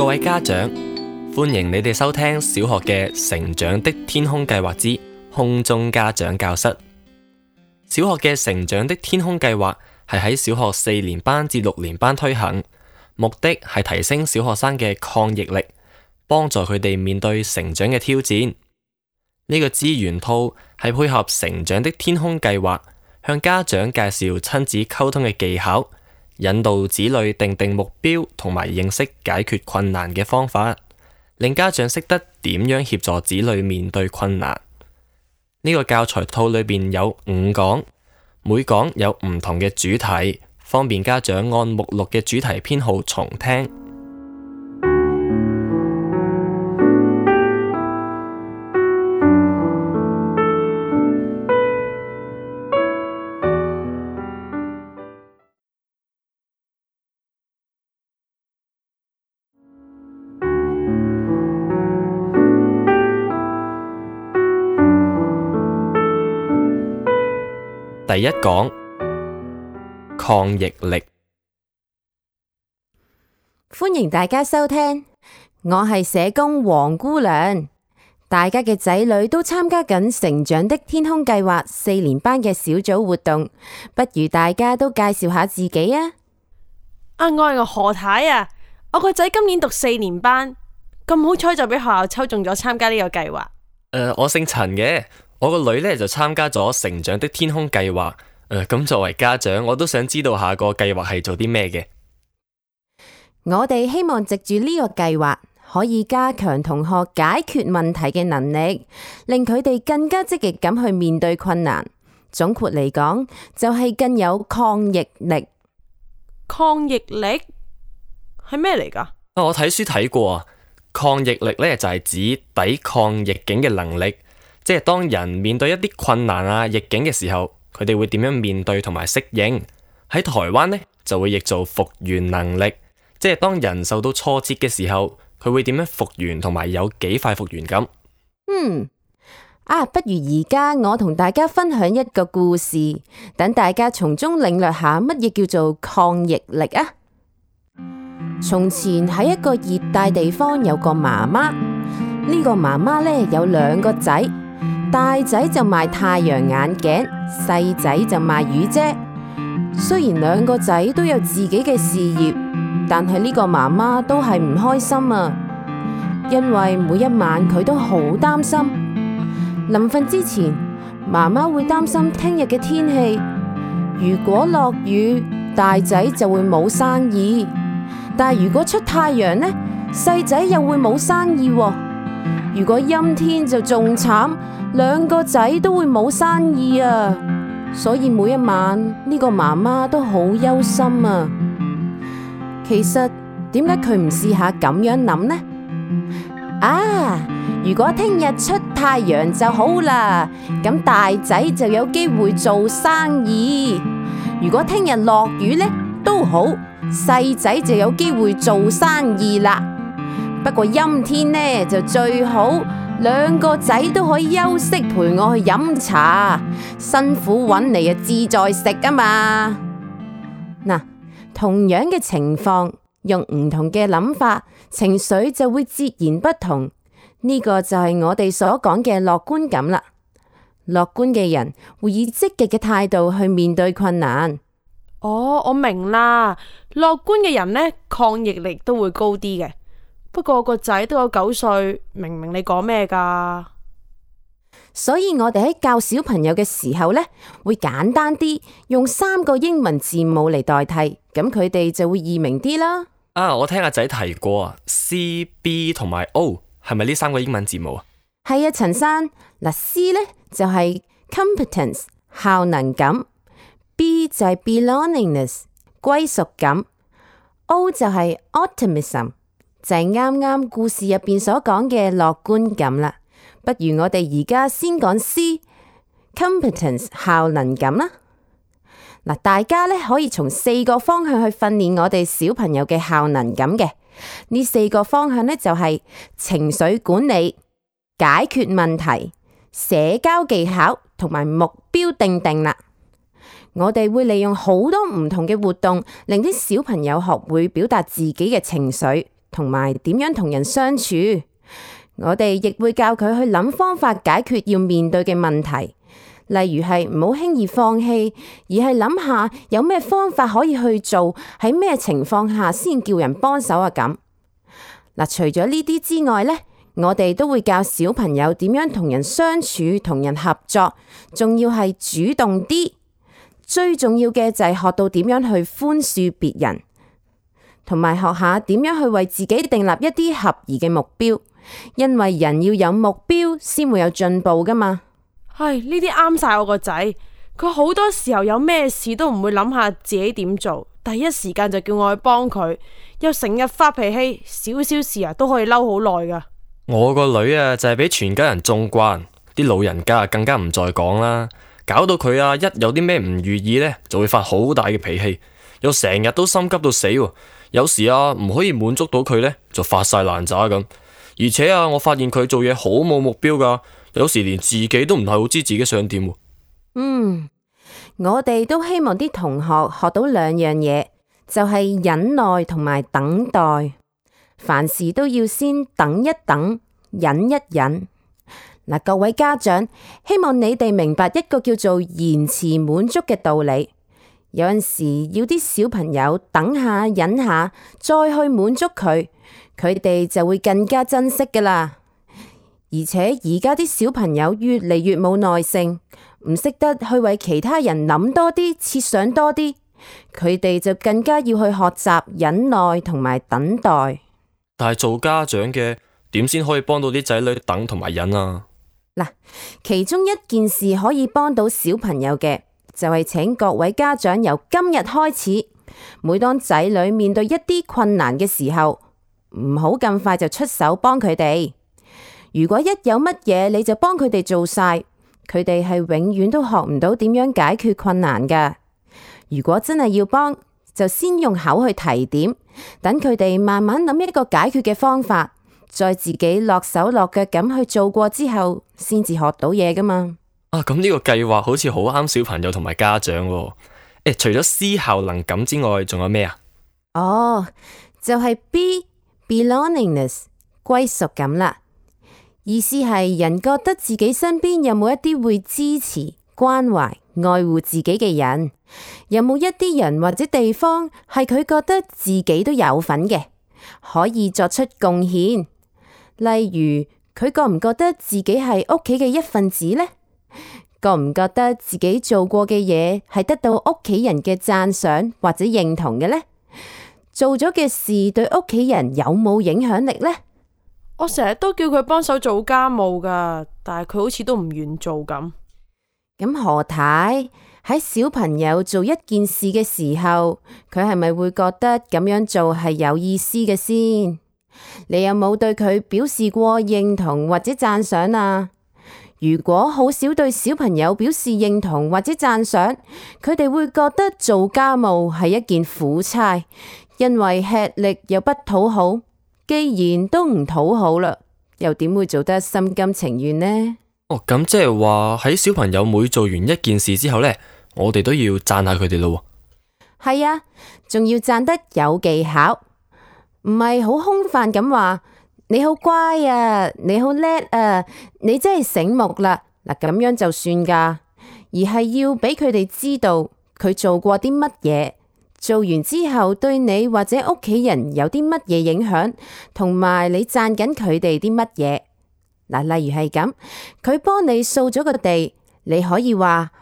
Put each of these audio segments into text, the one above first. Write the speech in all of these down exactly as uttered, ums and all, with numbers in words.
各位家長，歡迎你哋收聽小學嘅成長的天空計劃之空中家長教室。小學嘅成長的天空計劃係喺小學四年班至六年班推行，目的係提升小學生嘅抗逆力，幫助佢哋面對成長嘅挑戰。呢個資源套係配合成長的天空計劃，向家長介紹親子溝通嘅技巧，引導子女定定目標同埋認識解決困難嘅方法，令家長識得點樣協助子女面對困難。呢個教材套裏邊有五講，每講有唔同嘅主題，方便家長按目錄嘅主題編號重聽。第一講，抗逆力。歡迎大家收聽，我係社工黃姑娘。大家嘅仔女都參加緊成長的天空計劃四年班嘅小組活動，不如大家都介紹下自己啊！啊，我係何太啊，我個仔今年讀四年班，咁好彩就俾學校抽中咗參加呢個計劃。誒、呃，我姓陳嘅。我個女呢就參加咗成長的天空計劃，誒、呃，咁作為家長，我都想知道下個計劃係做啲咩嘅。我哋希望藉住呢個計劃，可以加強同學解決問題嘅能力，令佢哋更加積極咁去面對困難。總括嚟講，就係更有抗逆力。抗逆力係咩嚟噶？啊，我睇書睇過啊，抗逆力呢就係指抵抗逆境嘅能力。即係當人面對一啲困難啊、逆境嘅時候，佢哋會點樣面對同埋適應？喺台灣呢，就會譯做復原能力，即係當人受到挫折嘅時候，佢會點樣復原同埋有幾快復原咁。嗯，啊，不如而家我同大家分享一個故事，等大家從中領略下乜嘢叫做抗逆力啊！從前喺一個熱帶地方有個媽媽，呢個媽媽呢有兩個仔。大仔就賣太陽眼鏡，細仔就賣雨遮。雖然兩個仔都有自己嘅事業，但係呢個媽媽都係唔開心啊，因為每一晚佢都好擔心。臨瞓之前，媽媽會擔心聽日嘅天氣，如果落雨，大仔就會冇生意；但係如果出太陽呢，細仔又會冇生意喎。如果陰天就仲慘，兩個仔都會冇生意啊！所以每一晚呢個媽媽都好憂心啊。其實點解佢唔試下咁樣諗呢？啊！如果聽日出太陽就好啦，咁大仔就有機會做生意；如果聽日落雨呢，都好，細仔就有機會做生意啦。不過陰天呢就最好，兩個仔都可以休息陪我去飲茶，辛苦搵嚟啊自在食啊嘛。嗱，同樣嘅情況，用唔同嘅諗法，情緒就會截然不同。呢個就係我哋所講嘅樂觀感啦。樂觀嘅人會以積極嘅態度去面對困難。哦，我明啦，樂觀嘅人呢，抗逆力都會高啲嘅。不過我個仔都有九歲，明唔明你講咩噶？所以我哋喺教小朋友嘅時候呢，會簡單啲，用三個英文字母嚟代替，咁佢哋就會易明啲啦。啊，我聽阿仔提過啊 ，C、B 同埋 O 係咪呢三個英文字母啊？係啊，陳生，嗱 C 呢就係 competence 效能感，B 就係 belongingness 歸屬感，O 就係 optimism。就係啱啱故事入邊所講嘅樂觀感啦。不如我哋而家先講 C competence 效能感啦。嗱，大家咧可以從四個方向去訓練我哋小朋友嘅效能感嘅。呢四個方向咧就係情緒管理、解決問題、社交技巧同埋目標定定啦。我哋會利用好多唔同嘅活動，令啲小朋友學會表達自己嘅情緒，同埋點樣同人相處。我哋亦會教佢去諗方法解決要面對嘅問題，例如係唔好輕易放棄，而係諗下有咩方法可以去做，喺咩情況下先叫人幫手啊咁。嗱，除咗呢啲之外呢，我哋都會教小朋友點樣同人相處、同人合作，仲要係主動啲。最重要嘅就係學到點樣去寬恕別人，同埋學下點樣去為自己訂立一啲合宜嘅目標。因為人要有目標先會有進步噶嘛。唉，呢啲啱晒我個仔，佢好多時候有咩事都唔會諗下自己點做，第一時間就叫我去幫佢，又成日發脾氣，少少事啊都可以嬲好耐噶。我個女啊就係俾全家人縱慣，啲老人家更加唔再講啦，搞到佢啊一有啲咩唔如意呢，就會發好大嘅脾氣，又成日都心急到死，有時啊唔可以滿足到佢呢，就發晒爛渣咁。而且啊，我發現佢做嘢好冇目標噶，有時連自己都唔係好知自己想點。嗯，我哋都希望啲同學學到兩樣嘢，就係忍耐同埋等待。凡事都要先等一等，忍一忍。嗱，各位家長，希望你哋明白一個叫做延遲滿足嘅道理。有陣時要啲小朋友等下忍下，再去滿足佢。佢哋就會更加珍惜噶啦，而且而家啲小朋友越嚟越冇耐性，唔識得去為其他人諗多啲、設想多啲，佢哋就更加要去學習忍耐同埋等待。但係做家長嘅點先可以幫到啲仔女等同埋忍啊？嗱，其中一件事可以幫到小朋友嘅，就係請各位家長由今日開始，每當仔女面對一啲困難嘅時候，唔好咁快就出手幫佢哋。如果一有乜嘢你就幫佢哋做晒，佢哋係永遠都學唔到點樣解決困難噶。如果真係要幫，就先用口去提點，等佢哋慢慢諗一個解決嘅方法，再自己落手落腳咁去做過之後，先至學到嘢噶嘛。啊，咁呢個計劃好似好啱小朋友同埋家長喎。誒，除咗思效能感之外，仲有咩啊？哦，就係 B belongingness 歸屬感啦。意思係人覺得自己身邊有冇一啲會支持、關懷、愛護自己嘅人，有冇一啲人或者地方係佢覺得自己都有份嘅，可以作出貢獻。例如佢覺唔覺得自己係屋企嘅一份子呢？覺唔覺得自己做過嘅嘢係得到屋企人嘅讚賞或者認同嘅呢？做咗嘅事對屋企人有冇影響力呢？我成日都叫佢幫手做家務噶，但係佢好似都唔願做咁。咁何太喺小朋友做一件事嘅時候，佢係咪會覺得咁樣做係有意思嘅先？你有冇對佢表示過認同或者讚賞啊？如果好少對小朋友表示認同或者讚賞，佢哋會覺得做家務係一件苦差，因為吃力又不討好。既然都唔討好啦，又點會做得心甘情願呢？哦，咁即係話喺小朋友每做完一件事之後呢，我哋都要讚下佢哋咯。係啊，仲要讚得有技巧，唔係好空泛咁話你好乖啊，你好叻啊，你真係醒目啦。嗱，咁樣就算噶，而係要俾佢哋知道佢做過啲乜嘢。做完之後對你或者屋企人有啲乜嘢影響，同埋你讚緊佢哋啲乜嘢。嗱，例如係咁，佢幫你掃咗個地，你可以話：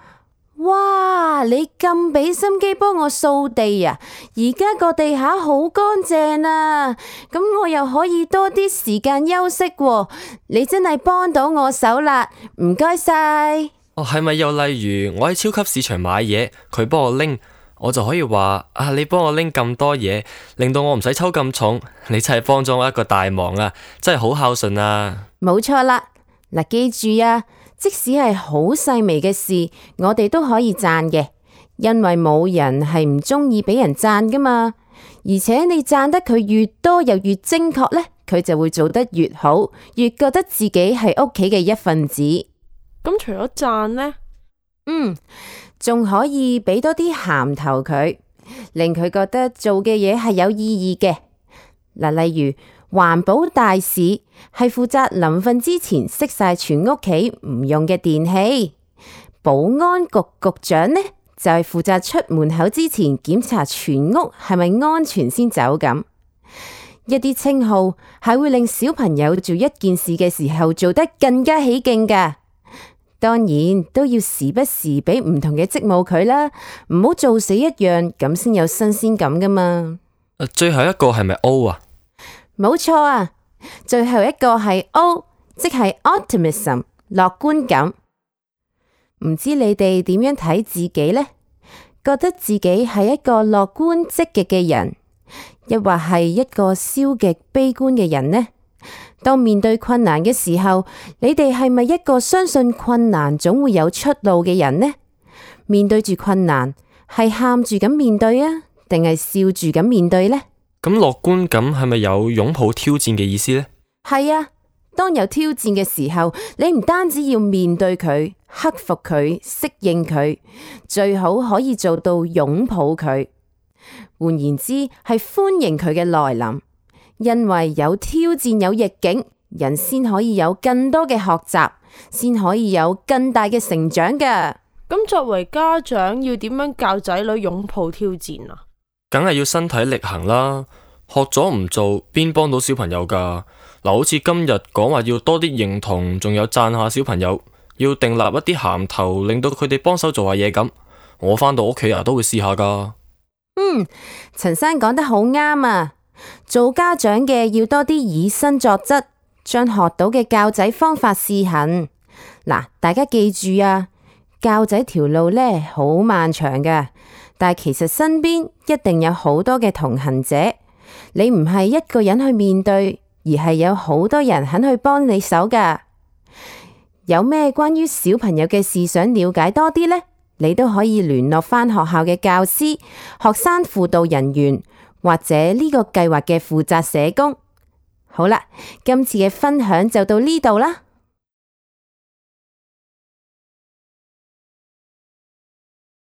哇，你咁俾心機幫我掃地啊！而家個地下好乾淨啊，咁我又可以多啲時間休息喎。你真係幫到我手啦，唔該晒。哦，係咪又例如我喺超級市場買嘢，佢幫我拎？我就可以話啊，你幫我拎咁多嘢，令到我唔使抽咁重，你真係幫咗我一個大忙啊！真係好孝順啊！冇錯啦，嗱，記住啊，即使係好細微嘅事，我哋都可以讚嘅，因為冇人係唔中意俾人讚噶嘛。而且你讚得佢越多又越精確呢，佢就會做得越好，越覺得自己係屋企嘅一份子。咁除咗讚呢？嗯。仲可以俾多啲銜頭佢，令佢覺得做嘅嘢係有意義嘅。嗱，例如環保大使係負責臨瞓之前熄晒全屋企唔用嘅電器，保安局局長呢就係負責出門口之前檢查全屋係咪安全先走咁。一啲稱號係會令小朋友做一件事嘅時候做得更加起勁噶，當然都要時不時俾唔同嘅職務佢啦，唔好做死一樣，咁先有新鮮感噶嘛。最後一個係咪 O 啊？冇錯啊，最後一個係 O， 即係 optimism， 樂觀感。唔知你哋點樣睇自己呢？覺得自己係一個樂觀積極嘅人，抑或係一個消極悲觀嘅人呢？當面對困難嘅時候，你哋係咪一個相信困難總會有出路嘅人呢？面對住困難，係喊住咁面對啊，定係笑住咁面對呢？咁樂觀感係咪有擁抱挑戰嘅意思呢？係啊，當有挑戰嘅時候，你唔單止要面對佢、克服佢、適應佢，最好可以做到擁抱佢。換言之，係歡迎佢嘅來臨，因為有挑戰有逆境，人先可以有更多嘅學習，先可以有更大嘅成長㗎。咁作為家長要點樣教仔女擁抱挑戰啊？梗係要身體力行啦，學咗唔做邊幫到小朋友噶？嗱，好似今日講話要多啲認同，仲有讚下小朋友，要訂立一啲銜頭，令到佢哋幫手做下嘢咁。我返到屋企啊，都會試下噶。嗯，陳生講得好啱啊！做家長嘅要多啲以身作則，將學到嘅教仔方法試行。嗱，大家記住啊，教仔條路呢好漫長噶，但係其實身邊一定有好多嘅同行者，你唔係一個人去面對，而係有好多人肯去幫你手噶。有咩關於小朋友嘅事想了解多啲呢？你都可以聯絡返學校嘅教師、學生輔導人員或者呢個計劃嘅負責社工。好啦，今次嘅分享就到呢度啦。